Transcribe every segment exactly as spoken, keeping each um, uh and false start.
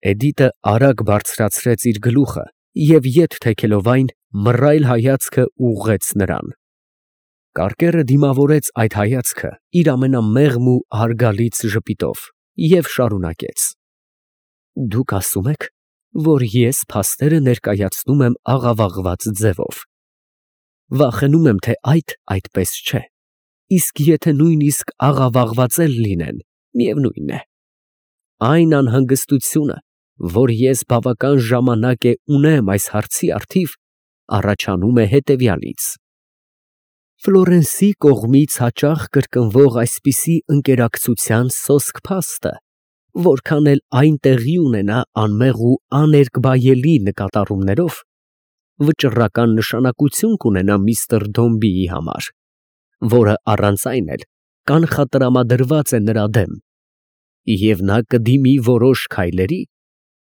Էդիտը արագ բարձրացրեց իր գլուխը և ետ թեքելով այն, մռայլ հայացքը ուղղեց նրան։ Կարկերը դիմավորեց այդ հայացքը իր ամենամեղմ ու հարգալից ժպիտով և շարունակեց. «Դուք ասում եք, որ ես փաստերը ներկայացնում եմ աղավաղված ձևով։ Վախենում եմ, թե այդ այդպես չէ, իսկ եթե նույնիսկ աղավաղված էլ լինեն, միևնույն է։ Այն անհանգստությունը, որ ես բավական ժամանակ է ունեմ այս հարցի առթիվ, առաջանում է հետևյալից. Ֆլորենսի կողմից հաճախ կրկնվող այսպիսի ընկերակցության սոսկ փաստը, որքան էլ այն տեղի ունենա անմեղ ու աներկբայելի նկատառումներով, վճռական նշանակություն կունենա միստր Դոմբիի համար, որը առանց այն էլ կանխատրամադրված է նրա դեմ, և նա կդիմի որոշ քայլերի,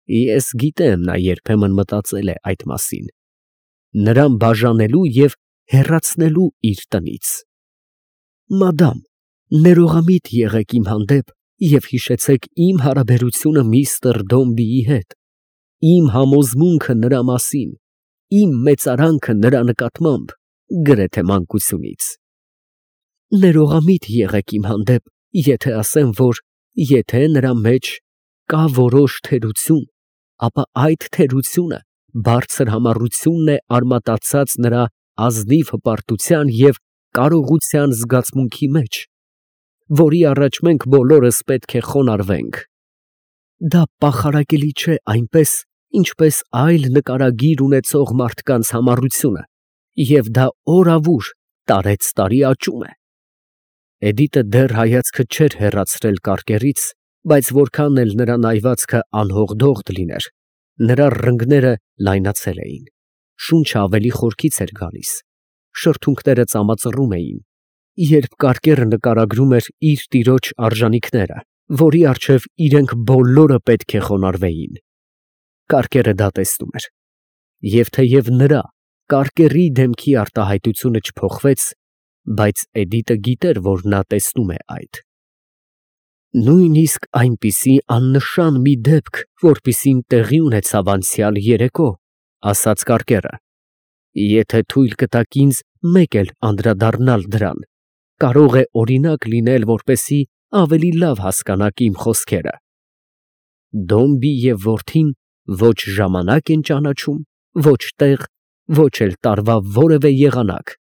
ես գիտեմ, նա երբեմն մտածել է այդ մասին, նրան բաժանելու և հեռացնելու իր տնից։ Մադամ, ներողամիտ եղեք իմ հանդեպ և հիշեցեք իմ հարաբերությունը միստր Դոմբիի հետ, իմ համոզմունքը նրա մասին, իմ մեծարանքը նրա նկատմամբ, գրեթե մանկությունից։ Ներողամիտ եղեք իմ հանդեպ, եթե ասեմ, որ եթե նրա մեջ կա որոշ թերություն, ապա այդ թերությունը բարձր համառությունն է արմատացած նրա ազնիվ հպարտության և կարողության զգացմունքի մեջ, որի առաջ մենք բոլորս պետք է խոնարհվենք։ Դա պախարակելի չէ այնպես, ինչպես այլ նկարագիր ունեցող մարդկանց համառությունը, և դա օրավուր, տարեցտարի աճում է։ Էդիտը դեռ հայացքը չէր հեռացրել կարկերից, բայց որքան էլ նրա նայվածքը անհողդողդ լիներ, նրա ռնգները լայնացել էին, շունչը ավելի խորքից էր գալիս, շրթունքները ծամածռում էին, երբ կարկերը նկարագրում էր իր տիրոջ արժանիքները, որի առջև իրենք բոլորը պետք է խոնարհվեին։ Կարկերը դա տեսնում էր, և թեև նրա, կարկերի դեմքի արտահայտությունը չփոխվեց, բայց Էդիտը գիտեր, որ նա տեսնում է այդ։ Նույնիսկ այնպիսի աննշան մի դեպք, որպիսին տեղի ունեցավ անցյալ երեկո, ասաց կարկերը, եթե թույլ կտաք ինձ մեկ էլ անդրադառնալ դրան, կարող է օրինակ լինել, որպեսզի ավելի լավ հասկանաք իմ խոսքերը։ Դոմբի և որդին ոչ ժամանակ են ճանաչում, ոչ տեղ, ոչ էլ տարվա որևէ եղանակ,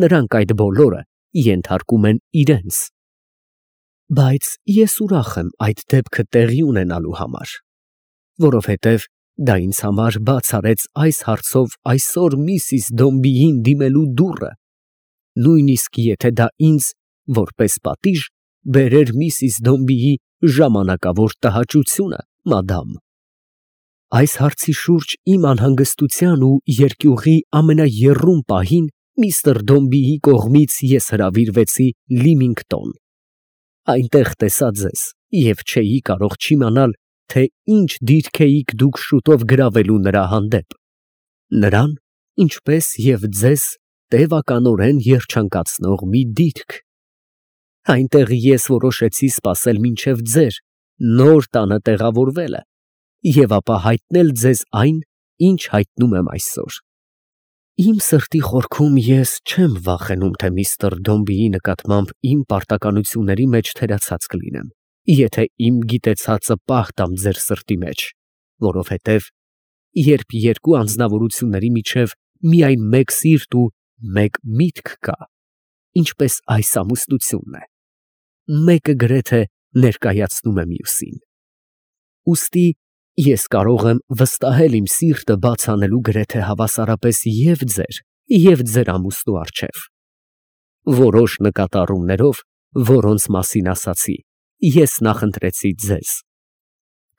նրանք այդ բոլորը ենթարկում են իրենց։ Բայց ես ուրախ եմ այդ դեպքը տեղի ունենալու համար, որովհետև դա ինձ համար բաց արեց այս հարցով այսօր միսիս Դոմբիին դիմելու դուռը, նույնիսկ եթե դա ինձ, որպես պատիժ, բերեր միսիս Դոմբիի ժամանակավոր տհաճությունը, մադամ։ Այս հարցի շուրջ իմ անհանգստության ու երկյուղի ամենաեռում պահին միստր Դոմբիի կողմից ես հրավիրվեցի Լիմինգտոն։ Այնտեղ տեսա ձեզ և չէի կարող չիմանալ, թե ինչ դիրք էիք դուք շուտով գրավելու նրա հանդեպ, նրան, ինչպես և ձեզ տևականորեն երջանկացնող մի դիրք։ Այնտեղ ես որոշեցի սպասել մինչև ձեր նոր տանը տեղավորվելը և ապա հայտնել ձեզ այն, ինչ հայտնում եմ այսօր։ Իմ սրտի խորքում ես չեմ վախենում, թե միստր Դոմբիի նկատմամբ իմ պարտականությունների մեջ թերացած կլինեմ, եթե իմ գիտեցածը պահ տամ ձեր սրտի մեջ, որովհետև երբ երկու անձնավորությունների միջև միայն մեկ սիրտ ու մեկ միտք կա, ինչպես այս ամուսնությունն է, մեկը գրեթե ներկայացնում է մյուսին։ Ուստի ես կարող եմ վստահել իմ սիրտը բաց անելու գրեթե հավասարապես և ձեր, և ձեր ամուսնու առջև։ Որոշ նկատառումներով, որոնց մասին ասացի, ես նախընտրեցի ձեզ։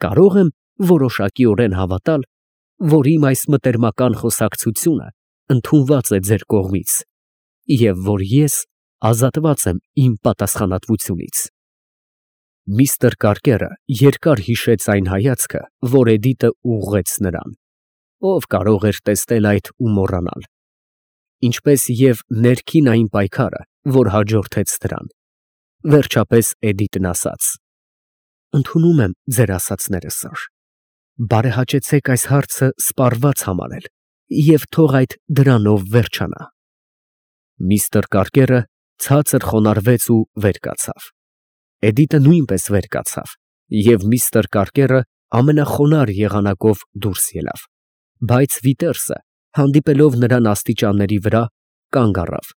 Կարող եմ որոշակիորեն հավատալ, որ իմ այս մտերմական խոսակցությունը ընդունված է ձեր կողմից, և որ ես ազատված եմ իմ պատասխանատվությունից։ Միստր Կարկերը երկար հիշեց այն հայացքը, որ Էդիտը ուղղեց նրան, ով կարող էր տեսնել այդ ու մոռանալ, ինչպես և ներքին այն պայքարը, որ հաջորդեց դրան։ Վերջապես Էդիտն ասաց. «Ընդունում եմ ձեր ասածները, սըր, Բարեհաճեցեք այս հարցը սպառված համարել և թող այդ դրանով վերջանա։ Միստր Կարկերը ցածր խոնարհվեց ու վեր կացավ։ Էդիտը նույնպես վեր կացավ, և միստր Կարկերը ամենախոնարհ եղանակով դուրս ելավ, բայց Վիտերսը, հանդիպելով նրան աստիճանների վրա, կանգ առավ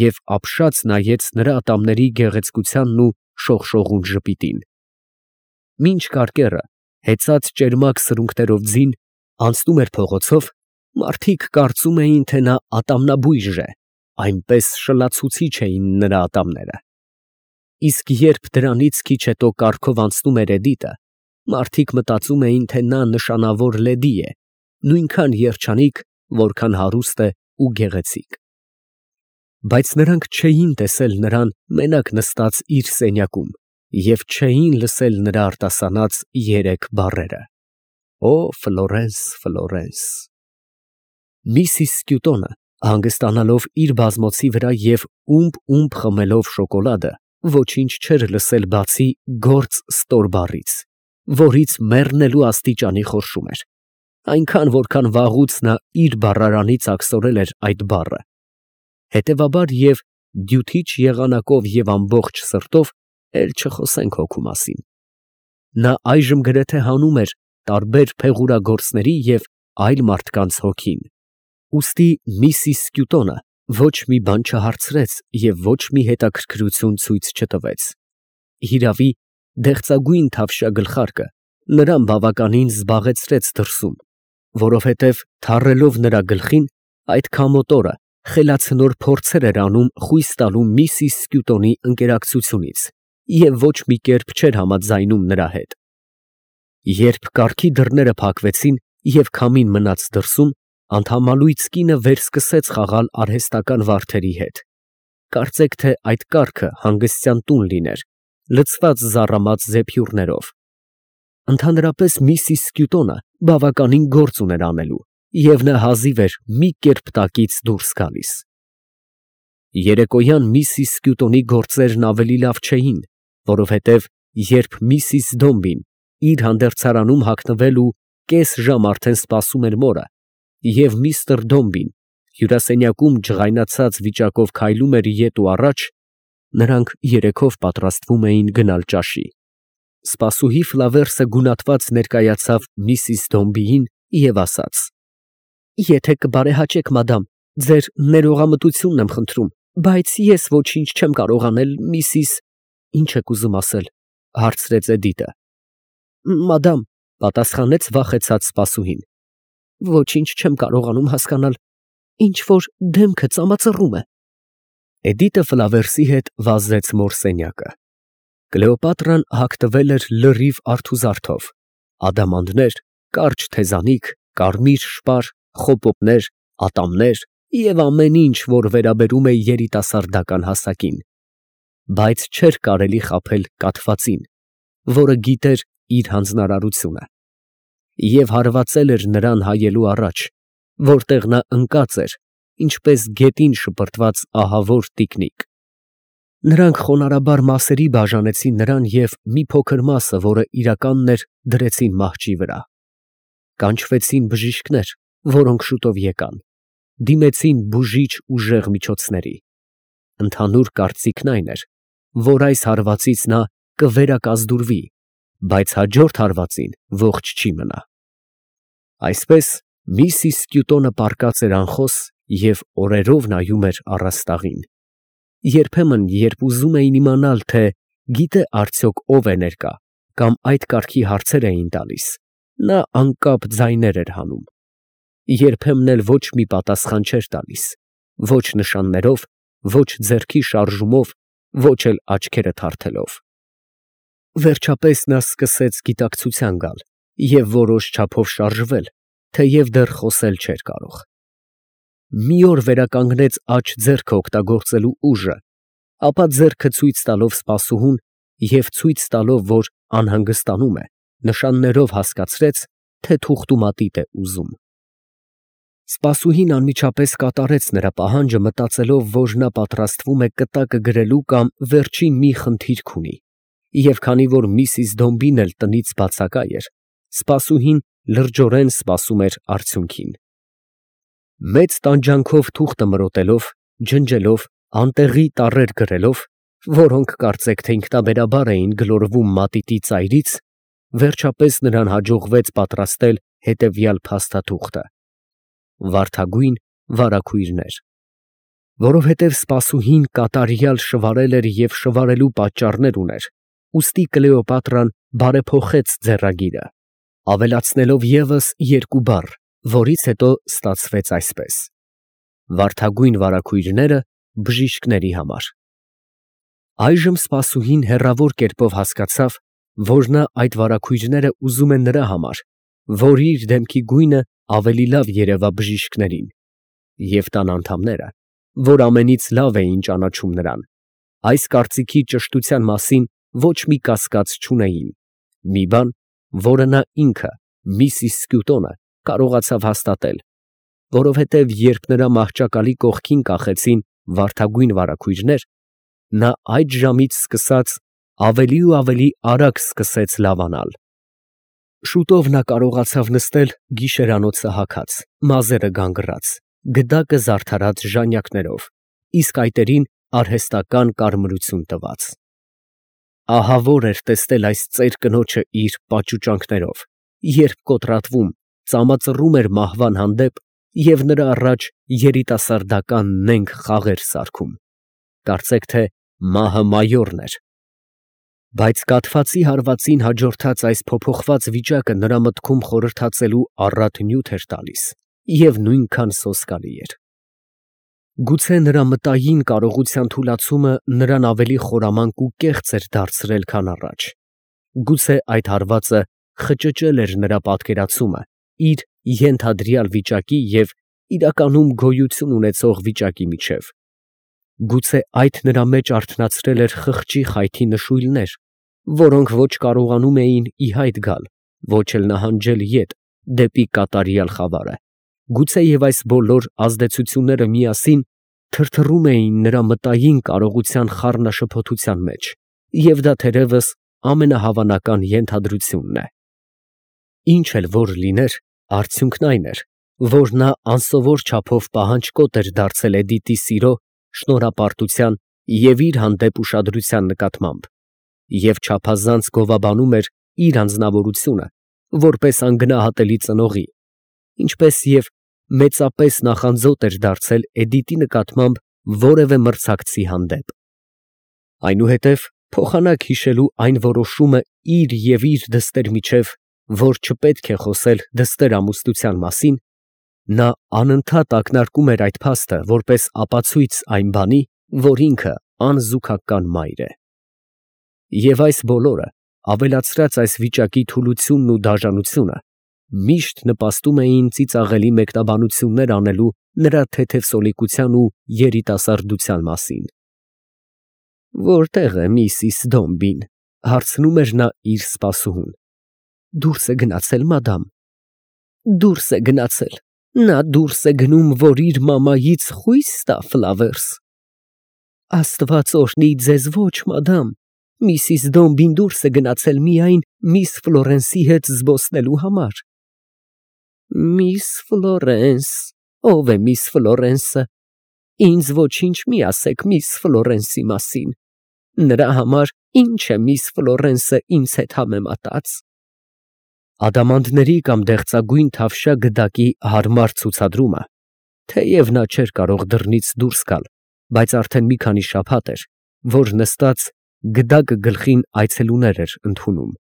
և ապշած նայեց նրա ատամների գեղեցկությանն ու շողշողուն ժպիտին։ Մինչ Կարկերը, հեծած ճերմակ սրունքներով ձին, անցնում էր փողոցով, մարդիկ կարծում էին, թե նա ատամնաբույժ է, այնպես շլացուցիչ էին նրա ատամները։ Իսկ երբ դրանից քիչ հետո կառքով անցնում էր Էդիտը, մարդիկ մտածում էին, թե նա նշանավոր լեդի է, նույնքան երջանիկ, որքան հարուստ է ու գեղեցիկ։ Բայց նրանք չէին տեսել նրան մենակ նստած իր սենյակում և չէին լսել նրա արտասանած երեք բառերը. «Օ Ֆլորենս, Ֆլորենս»։ Միսիս Սկյուտոնը, հանգստանալով իր բազմոցի վրա և ումպ֊ումպ խմելով շոկոլադը, ոչինչ չէր լսել բացի «գործ» ստոր բառից, որից մեռնելու աստիճանի խորշում էր, այնքան, որքան վաղուց նա իր բառարանից աքսորել էր այդ բառը, հետևաբար և դյութիչ եղանակով և ամբողջ սրտով, էլ չխոսենք հոգու մասին, նա այժմ գրեթե հանում էր տարբեր փեղուրագործների և այլ մարդկանց հոգին, ուստի միսիս Սկյուտոնը ոչ մի բան չհարցրեց և ոչ մի հետաքրքրություն ցույց չտվեց. հիրավի, դեղցագույն թավշյա գլխարկը նրան բավականին զբաղեցրեց դրսում, որովհետև թառելով նրա գլխին, այդ քամոտ օրը խելացնոր փորձեր էր անում խույս տալու միսիս Սկյուտոնի ընկերակցությունից և ոչ մի կերպ չէր համաձայնում նրա հետ։ Երբ կառքի դռները փակվեցին և քամին մնաց դրսում, անթամալույց կինը վերսկսեց խաղալ արհեստական վարդերի հետ, կարծեք թե այդ կառքը հանգստյան տուն լիներ, լցված զառամած զեփյուռներով։ Ընդհանրապես միսիս Սկյուտոնը բավականին գործ ուներ անելու, և նա հազիվ էր մի կերպ տակից դուրս գալիս։ Երեկոյան միսիս Սկյուտոնի գործերն ավելի լավ չէին, որովհետև երբ միսիս Դոմբին իր հանդերձարանում հագնվել ու կես ժամ արդեն սպասում էր մորը, և միստր Դոմբին հյուրասենյակում ջղայնացած վիճակով քայլում էր ետ ու առաջ, նրանք երեքով պատրաստվում էին գնալ ճաշի։ Սպասուհի Ֆլավերսը գունատված ներկայացավ միսիս Դոմբիին և ասաց. «Եթե կբարեհաճեք, մադամ, ձեր ներողամտությունն եմ խնդրում, բայց ես ոչինչ չեմ կարող անել, միսիս…» «Ի՞նչ եք ուզում ասել, ֊ հարցրեց Էդիտը։ ֊ Մադամ, ֊ պատասխանեց վախեցած սպասուհին, ֊ ոչինչ չեմ կարողանում հասկանալ, ինչ որ դեմքը ծամածռում է։ Էդիտը Ֆլավերսի հետ վազեց մոր սենյակը։ Կլեոպատրան հագնվել էր լրիվ արթուզարդով, ադամանդներ, կարճ թեզանիք, կարմիր շպար, խոպոպներ, ատամներ և ամեն ինչ, որ վերաբերում է երիտասարդական հասակին, բայց չէր կարելի խաբել կաթվածին, որը գիտեր իր հանձնարարությունը, և հարվածել էր նրան հայելու առաջ, որտեղ նա ընկած էր, ինչպես գետին շպրտված ահավոր տիկնիկ։ Նրանք խոնարհաբար մասերի բաժանեցին նրան և մի փոքր մասը, որը իրականն էր, դրեցին մահճի վրա։ Կանչվեցին բժիշկներ, որոնք շուտով եկան, դիմեցին բուժիչ ուժեղ միջոցների։ Ընդհանուր կարծիքն այն էր, որ այս հարվածից նա կվերակազդուրվի, բայց հաջորդ հարվածին ողջ չի մնա։ Այսպես միսիս Սկյուտոնը պառկած էր անխոս և օրերով նայում էր առաստաղին։ Երբեմն, երբ ուզում էին իմանալ, թե գիտե արդյոք ով է ներկա, կամ այդ կարգի հարցեր էին տալիս, նա անկապ ձայներ էր հանում։ Երբեմն էլ ոչ մի պատասխան չէր տալիս, ոչ նշաններով, ոչ ձեռքի շարժումով, ոչ էլ աչքերը թարթելով։ Վերջապես նա սկսեց գիտակցության գալ և որոշ չափով շարժվել, թեև դեռ խոսել չէր կարող։ Մի օր վերականգնեց աջ ձեռքը օգտագործելու ուժը, ապա ձեռքը ցույց տալով սպասուհուն և ցույց տալով, որ անհանգստանում է, նշաններով հասկացրեց, թե թուղթումատիտ է ուզում։ Սպասուհին անմիջապես կատարեց նրա պահանջը, մտածելով, որ նա պատրաստվում է կտակը գրելու կամ վերջին մի խնդիրք ունի, և քանի որ միսիս Դոմբին էլ տնից բացակա էր, սպասուհին լրջորեն սպասում էր արդյունքին։ Մեծ տանջանքով թուղթը մրոտելով, ջնջելով, անտեղի տառեր գրելով, որոնք կարծեք թե ինքնաբերաբար էին գլորվում մատիտի ծայրից, վերջապես նրան հաջողվեց պատրաստել հետևյալ փաստաթուղթը. վարդագույն վարագույրներ, որովհետև սպասուհին կատարյալ շվարել էր և շվարելու պատճառներ ուներ, ուստի Կլեոպատրան բարեփոխեց ձեռագիրը, ավելացնելով ևս երկու բառ, որից հետո ստացվեց այսպես. վարդագույն վարագույրները բժիշկների համար։ Այժմ սպասուհին հեռավոր կերպով հասկացավ, որ նա այդ վարագույրները ուզում է նրա համար, որ իր դեմքի գույնը ավելի լավ երևա բժիշկներին, և տան անդամները, որ ամենից լավ էին ճանաչում նրան, այս կարծիքի ճշտության մասին ոչ մի կասկած չունեին, մի բան, որը նա ինքը, միսիս Սկյուտոնը, կարողացավ հաստատել, որովհետև երբ նրա մահճակալի կողքին կախեցին վարդագույն վարագույրներ, նա այդ ժամից սկսած ավելի ու ավելի արագ սկսեց լավանալ։ Շուտով նա կարողացավ նստել գիշերանոցը հագած, մազերը գանգռած, գդակը զարդարած ժանյակներով, իսկ այտերին արհեստական կարմրություն տված։ Ահավոր էր տեսնել այս ծեր կնոջը իր պաճուճանքներով, երբ կոտրատվում, ծամածռում էր մահվան հանդեպ և նրա առաջ երիտասարդական նենգ խաղեր սարքում, կարծեք թե մահը մայորն էր։ Բայց կաթվածի հարվածին հաջորդած այս փոփոխված վիճակը նրա մտքում խորհրդածելու առատ նյութ էր տալիս և նույնքան սոսկալի էր։ Գուցե նրա մտային կարողության թուլացումը նրան ավելի խորամանկ ու կեղծ էր դարձրել, քան առաջ, գուցե այդ հարվածը խճճել էր նրա պատկերացումը իր ենթադրյալ վիճակի և իրականում գոյություն ունեցող վիճակի միջև, գուցե այդ նրա մեջ արթնացրել էր խղճի խայթի նշույլներ, որոնք ոչ կարողանում էին ի հայտ գալ, ոչ էլ նահանջել ետ դեպի կատարյալ խավարը, գուցե և այս բոլոր ազդեցությունները միասին թրթռում էին նրա մտային կարողության խառնաշփոթության մեջ, և դա թերևս ամենահավանական ենթադրությունն է։ Ինչ էլ որ լիներ, արդյունքն այն էր, որ նա անսովոր չափով պահանջկոտ էր դարձել Էդիտի սիրո, շնորհապարտության և իր հանդեպ ուշադրության նկատմամբ, և չափազանց գովաբանում էր իր անձնավորությունը, որպես անգնահատելի ծնողի, ինչպես և մեծապես նախանձոտ էր դարձել Էդիտի նկատմամբ որևէ մրցակցի հանդեպ։ Այնուհետև, փոխանակ հիշելու այն որոշումը իր և իր դստեր միջև, որ չպետք է խոսել դստեր ամուսնության մասին, նա անընդհատ ակնարկում էր այդ փաստը որպես ապացույց այն բանի, որ ինքը անզուգական մայր է։ Եվ այս բոլորը, ավելացրած այս վիճակի թուլությունն ու դաժանությունը, միշտ նպաստում էին ծիծաղելի մեկնաբանություններ անելու նրա թեթև սոլիկության ու երիտասարդության մասին։ «Որտե՞ղ է միսիս Դոմբին», ֊ հարցնում էր նա իր սպասուհուն։ «Դուրս է գնացել, մադամ»։ «Դուրս է գնացել, նա դուրս է գնում, որ իր մամայից խո՞ւյս տա ֆլավերս»։ «Աստված օրհնի ձեզ, ոչ, մադամ, միսիս Դոմբին դուրս է գնացել միայն միս Ֆլորենսի հետ զբոսնելու համար»։ «Միս Ֆլորենս, ո՞վ է միս Ֆլորենսը։ Ինձ ոչինչ մի ասեք միս Ֆլորենսի մասին, նրա համար ի՞նչ է միս Ֆլորենսը ինձ հետ համեմատած»։ Ադամանդների կամ դեղցագույն թավշյա գդակի հարմար ցուցադրումը, թեև նա չէր կարող դռնից դուրս գալ, բայց արդեն մի քանի շաբաթ էր, որ նստած գդակը գլխին այցելուներ էր ընդունում։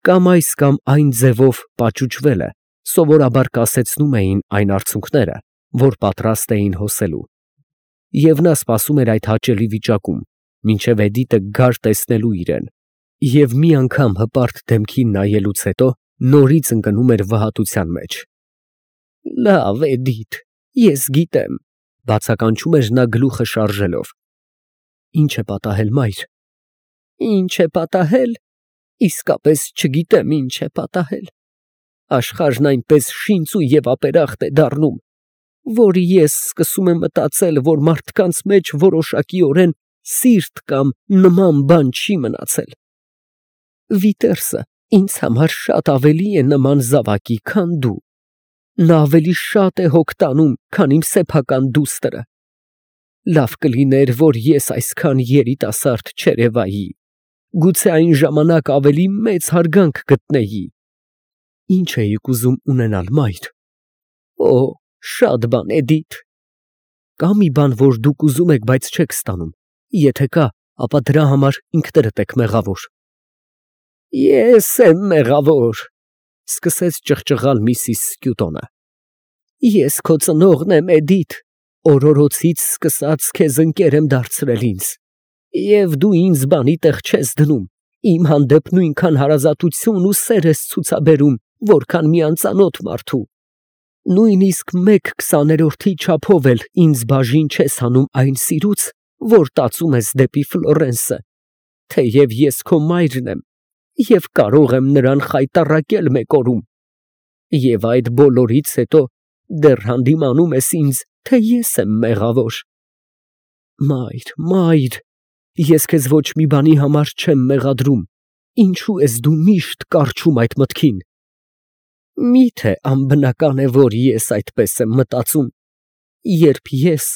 Կամ այս կամ այն ձևով պաճուճվելը սովորաբար կասեցնում էին այն արցունքները, որ պատրաստ էին հոսելու, և նա սպասում էր այդ հաճելի վիճակում, մինչև Էդիտը գար տեսնելու իրեն, և մի անգամ հպարտ դեմքին նայելուց հետո նորից ընկնում էր վհատության մեջ։ «Լավ, Էդիթ, ես գիտեմ», ֊ բացականչում էր նա գլուխը շարժելով։ «Ի՞նչ է պատահել, մայր»։ «Ի՞նչ է պատահել, իսկապես չգիտեմ ինչ է պատահել։ Աշխարհն այնպես շինծու և ապերախտ է դառնում, որ ես սկսում եմ մտածել, որ մարդկանց մեջ որոշակիորեն սիրտ կամ նման բան չի մնացել։ Վիտերսը ինձ համար շատ ավելի է նման զավակի, քան դու։ Նա ավելի շատ է հոգ տանում, քան իմ սեփական դուստրը։ Լավ կլիներ, որ ես այսքան երիտասարդ չերևայի, գուցե այն ժամանակ ավելի մեծ հարգանք գտնեի։ Ինչ էիք ուզում ունենալ, մայր։ Օ, շատ բան, Էդիթ։ Կա մի բան, որ դուք ուզում եք, բայց չեք ստանում։ Եթե կա, ապա դրա համար ինքներդ եք մեղավոր։ Ես եմ մեղավոր, սկսեց ճղճղալ միսիս Սկյուտոնը։ Ես քո ծնողն եմ, Էդիթ, օրորոցից սկսած քեզ ընկեր եմ դարձրել ինձ, և դու ինձ բանի տեղ չես դնում, իմ հանդեպ նույնքան հարազատություն ու սեր ես ցուցաբերում, որքան մի անծանոթ մարդու։ Նույնիսկ մեկ քսաներորդի չափով էլ ինձ բաժին չես հանում այն սիրուց, որ տածում ես դեպի Ֆլորենսը, թեև ես քո մայրն եմ և կարող եմ նրան խայտառակել մեկ օրում, և այդ բոլորից հետո դեռ հանդիմանում ես ինձ, թե ես եմ մեղավոր։ Մայր, մայր, ես քեզ ոչ մի բանի համար չեմ մեղադրում, ինչու ես դու միշտ կառչում այդ մտքին։ Միթե անբնական է, որ ես այդպես եմ մտածում, երբ ես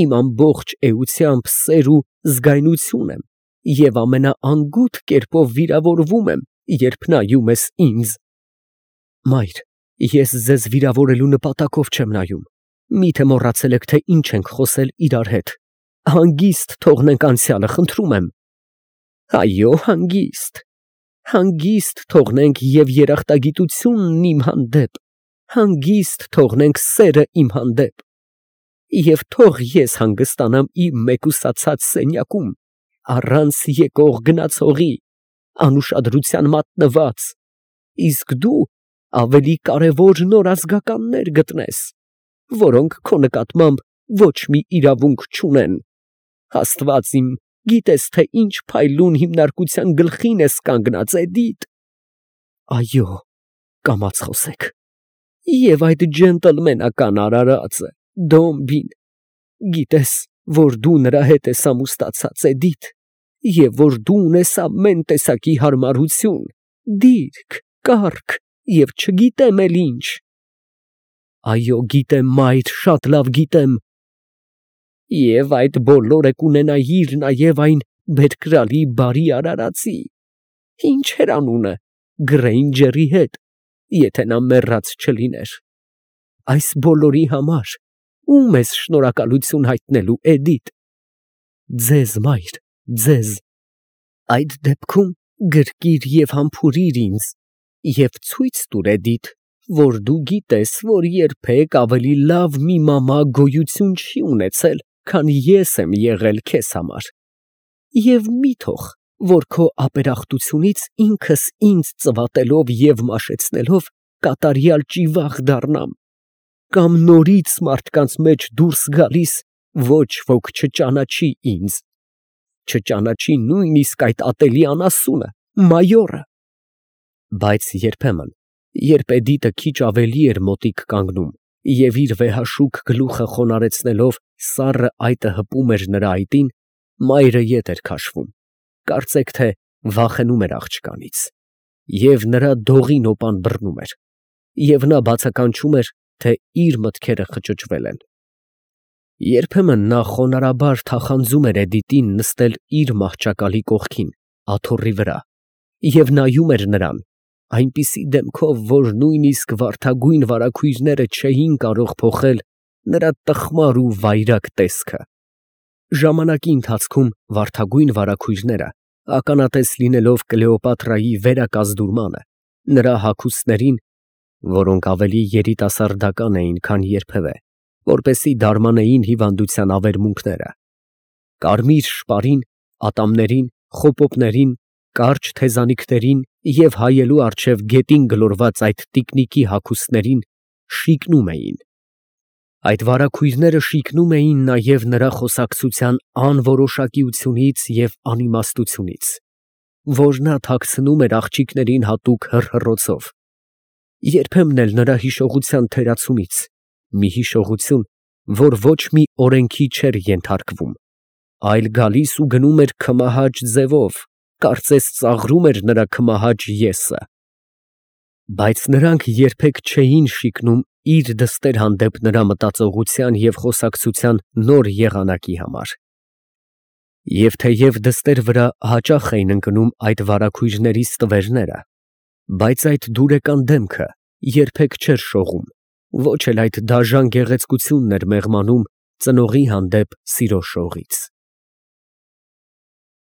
իմ ամբողջ էությամբ սեր ու զգայնություն եմ և ամենաանգութ կերպով վիրավորվում եմ, երբ նայում ես ինձ։ Մայր, ես ձեզ վիրավորելու նպատակով չեմ նայում, միթե մոռացել եք, թե ինչ ենք խոսել իրար հետ։ Հանգիստ թողնենք անցյալը, խնդրում եմ։ Այո, հանգիստ, հանգիստ թողնենք և երախտագիտությունն իմ հանդեպ, հանգիստ թողնենք սերը իմ հանդեպ, և թող ես հանգստանամ իմ մեկուսացած սենյակում, առանց եկող գնացողի, անուշադրության մատնված, իսկ դու ավելի կարևոր նոր ազգականներ գտնես, որոնք քո նկատմամբ ոչ մի իրավունք չունեն։ Աստված իմ, գիտես, թե ինչ փայլուն հիմնարկության գլխին ես կանգնած, Էդիթ։ Այո, կամաց խոսեք։ Եվ այդ ջենտլմենական արարածը, Դոմբին, գիտես, որ դու նրա հետ ես ամուսնացած, Էդիթ, և որ դու ունես ամեն տեսակի հարմարություն, դիրք, կառք և չգիտեմ էլ ինչ։ Այո, գիտեմ, մայր, շատ լավ գիտեմ։ Եվ այդ բոլորը կունենայիր նաև այն բերկրալի բարի արարածի, ինչ էր անունը, Գրեյնջերի հետ, եթե նա մեռած չլիներ։ Այս բոլորի համար ո՞ւմ ես շնորհակալություն հայտնելու, Էդիթ։ Ձեզ, մայր, ձեզ։ Այդ դեպքում գրկիր և համբուրիր ինձ և ցույց տուր, Էդիթ, որ դու գիտես, որ երբեք ավելի լավ մի մամա գոյություն չի ունեցել, քան ես եմ եղել քեզ համար, և մի թող, որ քո ապերախտությունից ինքս ինձ ծվատելով և մաշեցնելով կատարյալ ճիվաղ դառնամ, կամ նորից մարդկանց մեջ դուրս գալիս ոչ ոք չճանաչի ինձ, չճանաչի նույնիսկ այդ ատելի անասունը, մայորը։ Բայց երբեմն, երբ Էդիտը քիչ ավելի էր մոտիկ կանգնում և իր վեհաշուք գլուխը խոնարհեցնելով սառը այտը հպում էր նրա այտին, մայրը ետ էր քաշվում, կարծեք թե վախենում էր աղջկանից, և նրա դողի նոպան բռնում էր, և նա բացականչում էր, թե իր մտքերը խճճվել են։ Երբեմն նա խոնարհաբար թախանձում էր Էդիտին նստել իր մահճակալի կողքին, աթոռի վրա, և նայում էր նրան այնպիսի դեմքով, որ նույնիսկ վարդագույն վարագույրները չէին կարող փոխել նրա տխմար ու վայրագ տեսքը։ Ժամանակի ընթացքում վարդագույն վարագույրները, ականատես լինելով Կլեոպատրայի վերակազդուրմանը, նրա հագուստներին, որոնք ավելի երիտասարդական էին, քան երբևէ, որպեսզի դարմանեին հիվանդության ավերմունքները, կարմիր շպարին, ատամներին, խոպոպներին, կարճ թեզանիքներին և հայելու առջև գետին գլորված այդ տիկնիկի հագուստներին շիկնում էին։ Այդ վարագույրները շիկնում էին նաև նրա խոսակցության անորոշակիությունից և անիմաստությունից, որ նա թաքցնում էր աղջիկներին հատուկ հռհռոցով, երբեմն էլ նրա հիշողության թերացումից, մի հիշողություն, որ ոչ մի օրենքի չէր ենթարկվում, այլ գալիս ու գնում էր քմահաճ ձևով, կարծես ծաղրում էր նրա քմահաճ ես֊ը։ Բայց նրանք երբեք չէին շիկնում իր դստեր հանդեպ նրա մտածողության և խոսակցության նոր եղանակի համար. և թեև դստեր վրա հաճախ էին ընկնում այդ վարագույրների ստվերները, բայց այդ դուրեկան դեմքը երբեք չէր շողում, ոչ էլ այդ դաժան գեղեցկությունն էր մեղմանում ծնողի հանդեպ սիրո շողից։